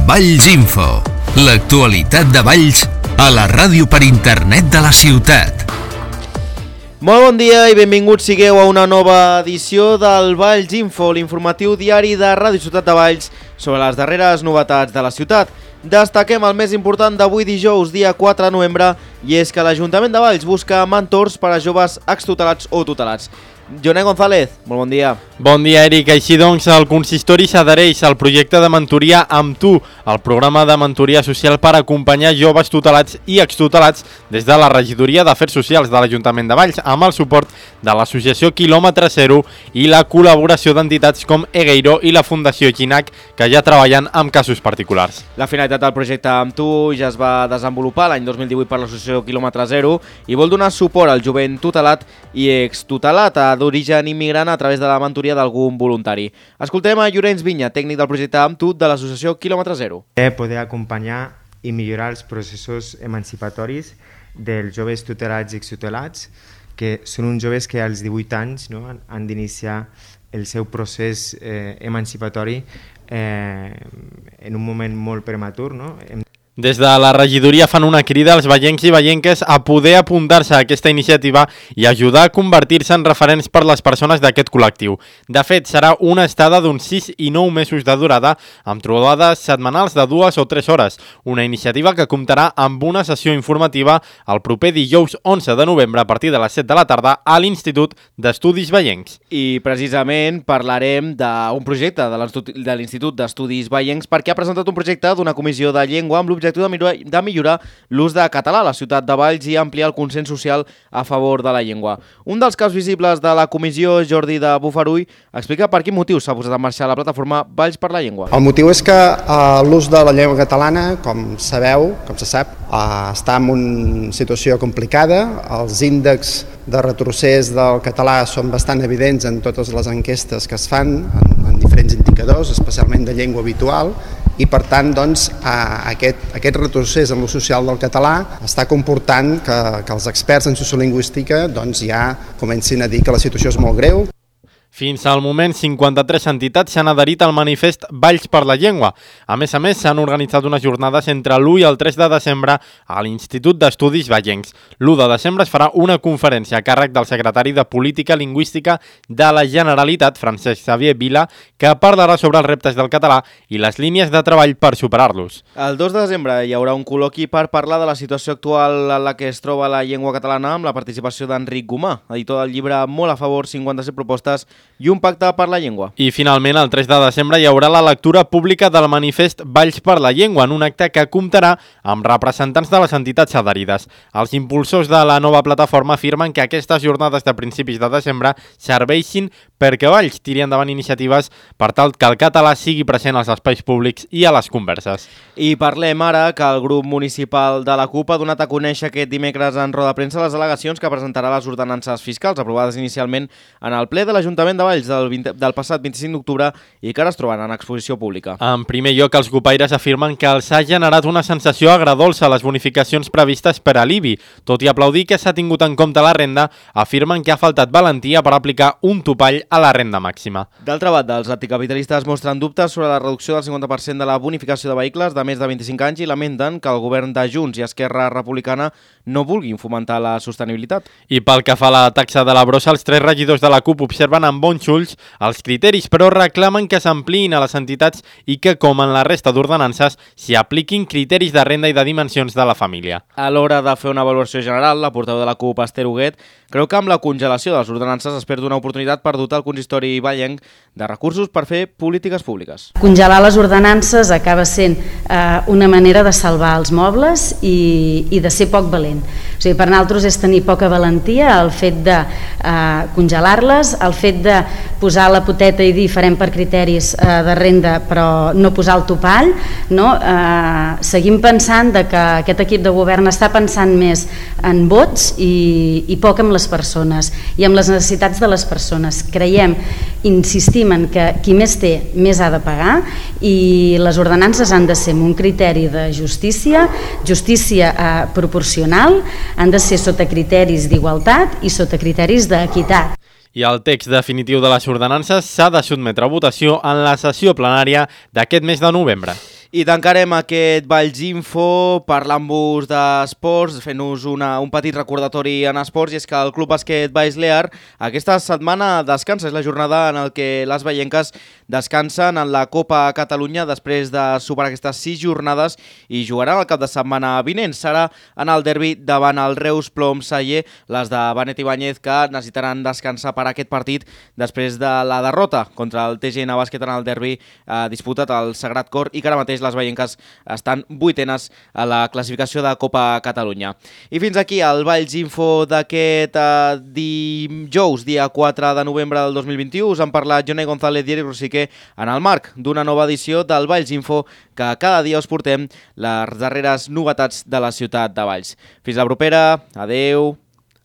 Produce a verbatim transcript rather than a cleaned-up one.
Valls Info, l'actualitat de Valls a la ràdio per internet de la ciutat. Molt bon dia i benvinguts sigueu a una nova edició del Valls Info, l'informatiu diari de Ràdio Ciutat de Valls sobre les darreres novetats de la ciutat. Destaquem el més important d'avui dijous, dia quatre de novembre, i és que l'Ajuntament de Valls busca mentors per a joves extutelats o tutelats. Joné González, molt bon dia. Bon dia, Eric. Així doncs, el consistori s'adhereix al projecte de mentoria Amb Tu, el programa de mentoria social per acompanyar joves tutelats i extutelats des de la Regidoria d'Afers Socials de l'Ajuntament de Valls, amb el suport de l'associació Quilòmetre Zero i la col·laboració d'entitats com Egueiro i la Fundació Ginac, que ja treballen amb casos particulars. La finalitat del projecte Amb Tu ja es va desenvolupar l'any dos mil divuit per l'associació Quilòmetre Zero i vol donar suport al jovent tutelat i extutelat d'origen immigrant a través de la mentoria d'algun voluntari. Escoltem a Llorenç Vinya, tècnic del projecte Amb Tu de l'associació Quilòmetre Zero. Poder acompanyar i millorar els processos emancipatoris dels joves tutelats i extutelats, que són uns joves que als divuit anys no, han d'iniciar el seu procés eh, emancipatori eh, en un moment molt prematur. No? Des de la regidoria fan una crida als vallencs i vallenques a poder apuntar-se a aquesta iniciativa i ajudar a convertir-se en referents per les persones d'aquest col·lectiu. De fet, serà una estada d'uns sis i nou mesos de durada, amb trobades setmanals de dues o tres hores, una iniciativa que comptarà amb una sessió informativa el proper dijous onze de novembre a partir de les set de la tarda a l'Institut d'Estudis Vallencs. I precisament parlarem d'un projecte de l'Institut d'Estudis Vallencs perquè ha presentat un projecte d'una comissió de llengua amb l'objectiu de millorar, de millorar l'ús de català a la ciutat de Valls i ampliar el consens social a favor de la llengua. Un dels caps visibles de la comissió, Jordi de Bufarull, explica per quin motiu s'ha posat en marxa la plataforma Valls per la Llengua. El motiu és que uh, l'ús de la llengua catalana, com sabeu, com se sap, uh, està en una situació complicada. Els índexs de retrocés del català són bastant evidents en totes les enquestes que es fan, en, en diferents indicadors, especialment de llengua habitual, i per tant doncs, aquest, aquest retrocés en l'ús social del català està comportant que, que els experts en sociolingüística doncs, ja comencin a dir que la situació és molt greu. Fins al moment, cinquanta-tres entitats s'han adherit al manifest Valls per la Llengua. A més a més, s'han organitzat unes jornades entre l'u i el tres de desembre a l'Institut d'Estudis Vallencs. l'u de desembre es farà una conferència a càrrec del secretari de Política Lingüística de la Generalitat, Francesc Xavier Vila, que parlarà sobre els reptes del català i les línies de treball per superar-los. El dos de desembre hi haurà un col·loqui per parlar de la situació actual en la que es troba la llengua catalana amb la participació d'Enric Gomà, editor del llibre Molt a favor, cinquanta-set propostes i un pacte per la llengua. I finalment, el tres de desembre hi haurà la lectura pública del manifest Valls per la Llengua, en un acte que comptarà amb representants de les entitats adherides. Els impulsors de la nova plataforma afirmen que aquestes jornades de principis de desembre serveixin perquè Valls tiri endavant iniciatives per tal que el català sigui present als espais públics i a les converses. I parlem ara que el grup municipal de la CUP ha donat a conèixer aquest dimecres en roda de premsa les al·legacions que presentarà les ordenances fiscals aprovades inicialment en el ple de l'Ajuntament de Valls del, vint, del passat vint-i-cinc d'octubre i que ara es troben en exposició pública. En primer lloc, els copaires afirmen que els ha generat una sensació agredolça a les bonificacions previstes per a l'I B I. Tot i aplaudir que s'ha tingut en compte la renda, afirmen que ha faltat valentia per aplicar un topall a la renda màxima. D'altra banda, els anticapitalistes mostren dubtes sobre la reducció del cinquanta per cent de la bonificació de vehicles de més de vint-i-cinc anys i lamenten que el govern de Junts i Esquerra Republicana no vulguin fomentar la sostenibilitat. I pel que fa a la taxa de la brossa, els tres regidors de la CUP observen amb bons ulls els criteris, però reclamen que s'ampliïn a les entitats i que, com en la resta d'ordenances, s'hi apliquin criteris de renda i de dimensions de la família. A l'hora de fer una valoració general, la portaveu de la CUP, Esther Huguet, creu que amb la congelació de les ordenances es perd una oportunitat per dotar el consistori vallenc de recursos per fer polítiques públiques. Congelar les ordenances acaba sent eh, una manera de salvar els mobles i, i de ser poc valent. O sigui, per nosaltres és tenir poca valentia el fet de eh, congelar-les, el fet de posar la poteta i dir farem per criteris eh, de renda però no posar el topall, no? Eh, seguim pensant de que aquest equip de govern està pensant més en vots i, i poc en les persones i amb les necessitats de les persones. Creiem, insistim en que qui més té més ha de pagar i les ordenances han de ser amb un criteri de justícia, justícia eh, proporcional, han de ser sota criteris d'igualtat i sota criteris d'equitat. I el text definitiu de les ordenances s'ha de sotmetre a votació en la sessió plenària d'aquest mes de novembre. I tancarem aquest Valls Info parlant-vos d'esports, fent-nos un petit recordatori en esports, i és que el Club Bàsquet Baix Lear aquesta setmana descansa. És la jornada en el que les veienques descansen en la Copa Catalunya després de superar aquestes sis jornades i jugaran el cap de setmana vinent. Serà en el derbi davant el Reus Plom Saller, les de Benet Ibáñez, que necessitaran descansar per aquest partit després de la derrota contra el T G N Bàsquet en el derbi eh, disputat al Sagrat Cor, i que ara mateix les veienques estan vuitenes a la classificació de Copa Catalunya. I fins aquí el Valls Info d'aquest eh, dijous, dia quatre de novembre del dos mil vint-i-u. Us han parlat Jonai González i Eric Rosique en el marc d'una nova edició del Valls Info, que cada dia us portem les darreres novetats de la ciutat de Valls. Fins la propera, adeu!